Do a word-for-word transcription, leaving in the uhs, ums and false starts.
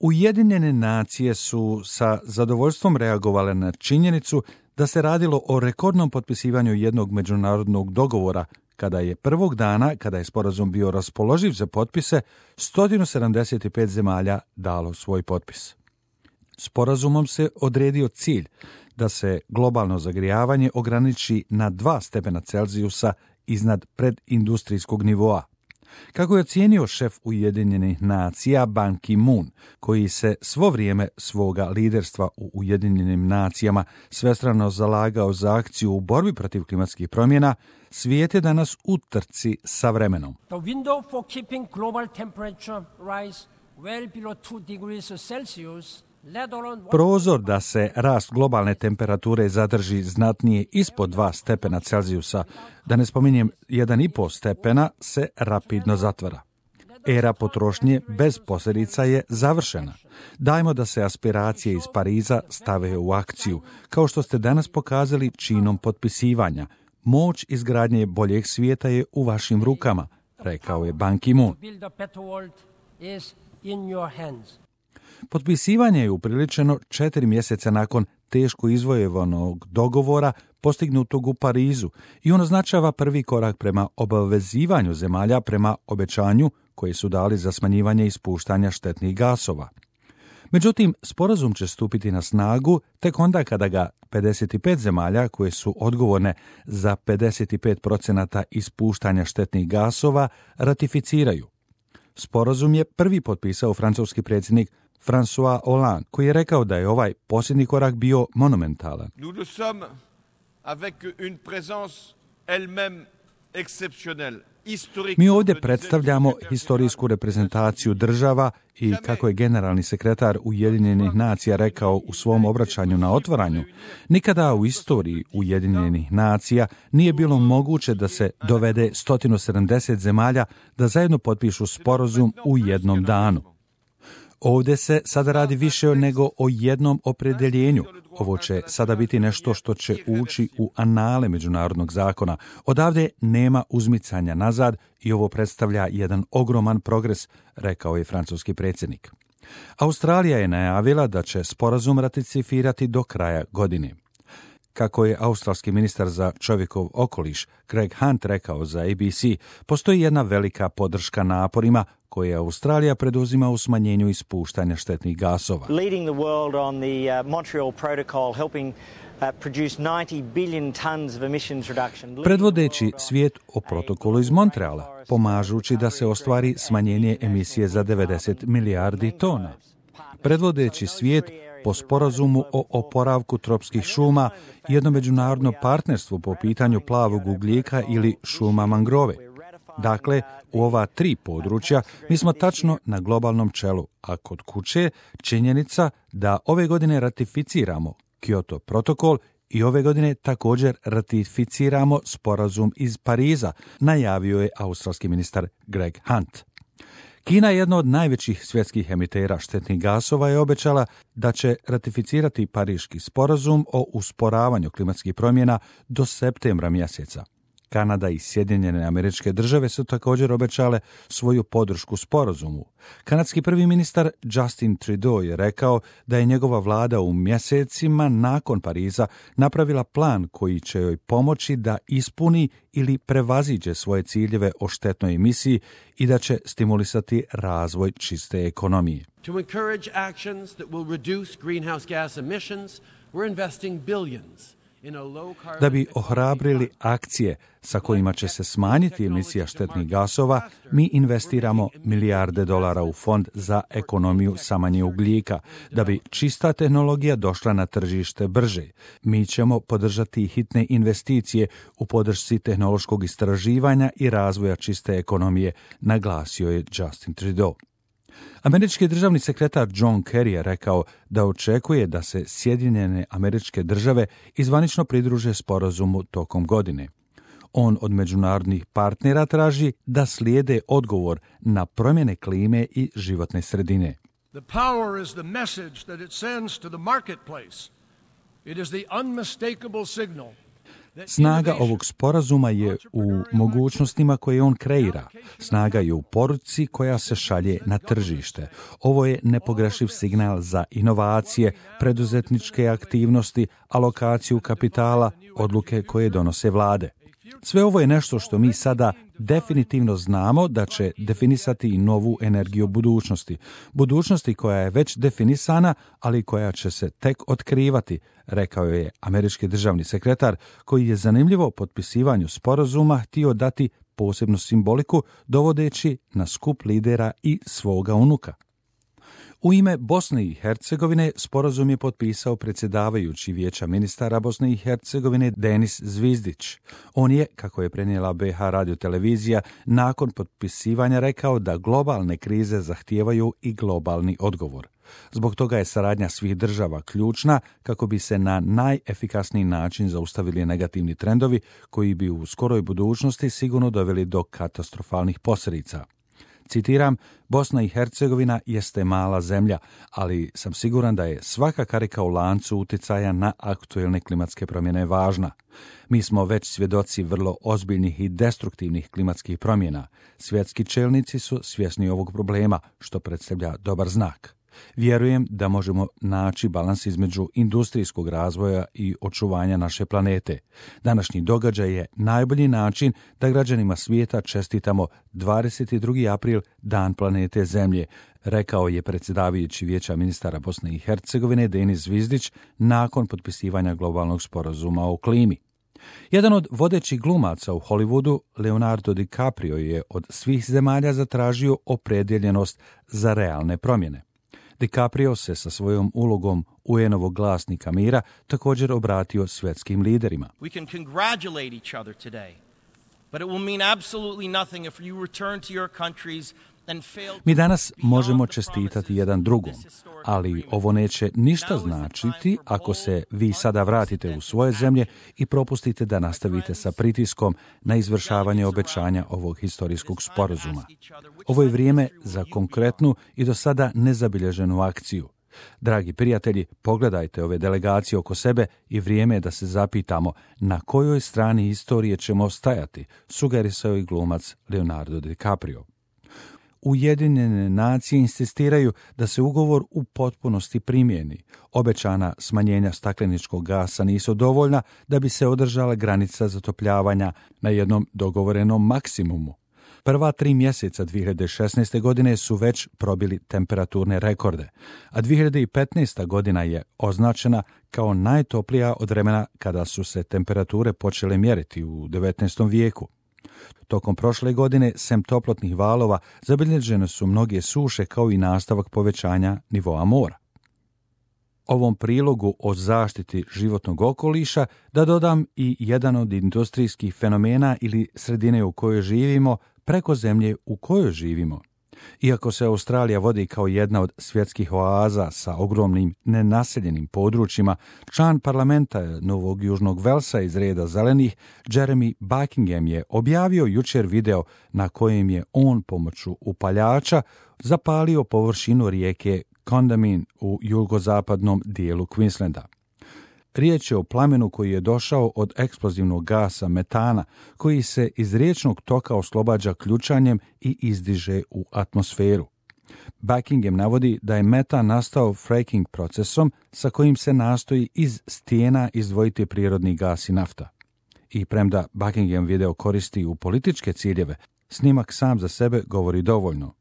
Ujedinjene nacije su sa zadovoljstvom reagovale na činjenicu da se radilo o rekordnom potpisivanju jednog međunarodnog dogovora, kada je prvog dana, kada je sporazum bio raspoloživ za potpise, sto sedamdeset pet zemalja dalo svoj potpis. Sporazumom se odredio cilj da se globalno zagrijavanje ograniči na dva stepena Celzijusa iznad predindustrijskog nivoa. Kako je ocijenio šef Ujedinjenih nacija Ban Ki-moon, koji se svo vrijeme svoga liderstva u Ujedinjenim nacijama svestrano zalagao za akciju u borbi protiv klimatskih promjena, svijet je danas u trci sa vremenom. The window for keeping global temperature rise well below two degrees Celsius. Prozor da se rast globalne temperature zadrži znatnije ispod dva stepena Celzijusa, da ne spominjem jedan i pol stepena, se rapidno zatvara. Era potrošnje bez posljedica je završena. Dajmo da se aspiracije iz Pariza stave u akciju, kao što ste danas pokazali činom potpisivanja. Moć izgradnje boljeg svijeta je u vašim rukama, rekao je Ban Ki-moon. Potpisivanje je upriličeno četiri mjeseca nakon teško izvojevanog dogovora postignutog u Parizu i on označava prvi korak prema obavezivanju zemalja prema obećanju koje su dali za smanjivanje ispuštanja štetnih gasova. Međutim, sporazum će stupiti na snagu tek onda kada ga pedeset pet zemalja koje su odgovorne za pedeset pet posto ispuštanja štetnih gasova ratificiraju. Sporazum je prvi potpisao francuski predsjednik François Hollande, koji je rekao da je ovaj posljednji korak bio monumentalan. Nous le sommes avec une présence elle-même exceptionnelle. Mi ovdje predstavljamo historijsku reprezentaciju država i, kako je generalni sekretar Ujedinjenih nacija rekao u svom obraćanju na otvaranju, nikada u istoriji Ujedinjenih nacija nije bilo moguće da se dovede sto sedamdeset zemalja da zajedno potpišu sporazum u jednom danu. Ovdje se sada radi više nego o jednom opredjeljenju. Ovo će sada biti nešto što će ući u anale međunarodnog zakona. Odavde nema uzmicanja nazad i ovo predstavlja jedan ogroman progres, rekao je francuski predsjednik. Australija je najavila da će sporazum ratificirati do kraja godine. Kako je australski ministar za čovjekov okoliš Greg Hunt rekao za A B C, postoji jedna velika podrška naporima koje Australija preduzima u smanjenju ispuštanja štetnih gasova. Leading the world on the uh, Montreal Protocol, helping uh, produce ninety billion tons of emissions reduction. Predvodeći svijet o protokolu iz Montreala, pomažući da se ostvari smanjenje emisije za devedeset milijardi tona. Predvodeći svijet po sporazumu o oporavku tropskih šuma i jedno međunarodno partnerstvo po pitanju plavog ugljika ili šuma mangrove. Dakle, u ova tri područja mi smo tačno na globalnom čelu, a kod kuće činjenica da ove godine ratificiramo Kyoto protokol i ove godine također ratificiramo sporazum iz Pariza, najavio je australski ministar Greg Hunt. Kina, jedna od najvećih svjetskih emitera štetnih gasova, je obećala da će ratificirati Pariški sporazum o usporavanju klimatskih promjena do septembra mjeseca. Kanada i Sjedinjene Američke Države su također obećale svoju podršku sporazumu. Kanadski prvi ministar Justin Trudeau je rekao da je njegova vlada u mjesecima nakon Pariza napravila plan koji će joj pomoći da ispuni ili prevaziđe svoje ciljeve o štetnoj emisiji i da će stimulisati razvoj čiste ekonomije. To encourage actions that will reduce greenhouse gas emissions, we're investing billions. Da bi ohrabrili akcije sa kojima će se smanjiti emisija štetnih gasova, mi investiramo milijarde dolara u fond za ekonomiju sa manje ugljika. Da bi čista tehnologija došla na tržište brže, mi ćemo podržati hitne investicije u podršci tehnološkog istraživanja i razvoja čiste ekonomije, naglasio je Justin Trudeau. Američki državni sekretar John Kerry je rekao da očekuje da se Sjedinjene Američke Države izvanično pridruže sporazumu tokom godine. On od međunarodnih partnera traži da slijede odgovor na promjene klime i životne sredine. The power is the message that it sends to the marketplace. It is the unmistakable signal. Snaga ovog sporazuma je u mogućnostima koje on kreira. Snaga je u poruci koja se šalje na tržište. Ovo je nepogrešiv signal za inovacije, preduzetničke aktivnosti, alokaciju kapitala, odluke koje donose vlade. Sve ovo je nešto što mi sada definitivno znamo da će definisati i novu energiju budućnosti. Budućnosti koja je već definisana, ali koja će se tek otkrivati, rekao je američki državni sekretar, koji je zanimljivo potpisivanju sporazuma htio dati posebnu simboliku, dovodeći na skup lidera i svoga unuka. U ime Bosne i Hercegovine sporazum je potpisao predsjedavajući Vijeća ministara Bosne i Hercegovine Denis Zvizdić. On je, kako je prenijela B H radiotelevizija, nakon potpisivanja rekao da globalne krize zahtijevaju i globalni odgovor. Zbog toga je saradnja svih država ključna kako bi se na najefikasniji način zaustavili negativni trendovi koji bi u skoroj budućnosti sigurno doveli do katastrofalnih posljedica. Citiram, Bosna i Hercegovina jeste mala zemlja, ali sam siguran da je svaka karika u lancu utjecaja na aktuelne klimatske promjene važna. Mi smo već svjedoci vrlo ozbiljnih i destruktivnih klimatskih promjena. Svjetski čelnici su svjesni ovog problema, što predstavlja dobar znak. Vjerujem da možemo naći balans između industrijskog razvoja i očuvanja naše planete. Današnji događaj je najbolji način da građanima svijeta čestitamo dvadeset drugi april, Dan planete Zemlje, rekao je predsjedavajući Vijeća ministara Bosne i Hercegovine Denis Zvizdić nakon potpisivanja globalnog sporazuma o klimi. Jedan od vodećih glumaca u Hollywoodu, Leonardo DiCaprio, je od svih zemalja zatražio opredjeljenost za realne promjene. DiCaprio se sa svojom ulogom U N-ovog glasnika mira također obratio svjetskim liderima. We can congratulate each other today, but it will mean absolutely nothing if you return to your countries and fail. Mi danas možemo čestitati jedan drugom, ali ovo neće ništa značiti ako se vi sada vratite u svoje zemlje i propustite da nastavite sa pritiskom na izvršavanje obećanja ovog historijskog sporazuma. Ovo je vrijeme za konkretnu i do sada nezabilježenu akciju. Dragi prijatelji, pogledajte ove delegacije oko sebe i vrijeme je da se zapitamo na kojoj strani istorije ćemo stajati, sugerisao i glumac Leonardo DiCaprio. Ujedinjene nacije insistiraju da se ugovor u potpunosti primjeni. Obećana smanjenja stakleničkog gasa nisu dovoljna da bi se održala granica zatopljavanja na jednom dogovorenom maksimumu. Prva tri mjeseca dvije hiljade šesnaeste. godine su već probili temperaturne rekorde, a dvije hiljade petnaesta. godina je označena kao najtoplija od vremena kada su se temperature počele mjeriti u devetnaestom vijeku. Tokom prošle godine, sem toplotnih valova, zabilježene su mnoge suše kao i nastavak povećanja nivoa mora. Ovom prilogu o zaštiti životnog okoliša da dodam i jedan od industrijskih fenomena ili sredine u kojoj živimo preko zemlje u kojoj živimo. Iako se Australija vodi kao jedna od svjetskih oaza sa ogromnim nenaseljenim područjima, član parlamenta Novog Južnog Velsa iz reda zelenih, Jeremy Buckingham, je objavio jučer video na kojem je on pomoću upaljača zapalio površinu rijeke Condamin u jugozapadnom dijelu Queenslanda. Riječ je o plamenu koji je došao od eksplozivnog gasa metana, koji se iz riječnog toka oslobađa ključanjem i izdiže u atmosferu. Buckingham navodi da je metan nastao fracking procesom sa kojim se nastoji iz stijena izdvojiti prirodni gas i nafta. I premda Buckingham video koristi u političke ciljeve, snimak sam za sebe govori dovoljno.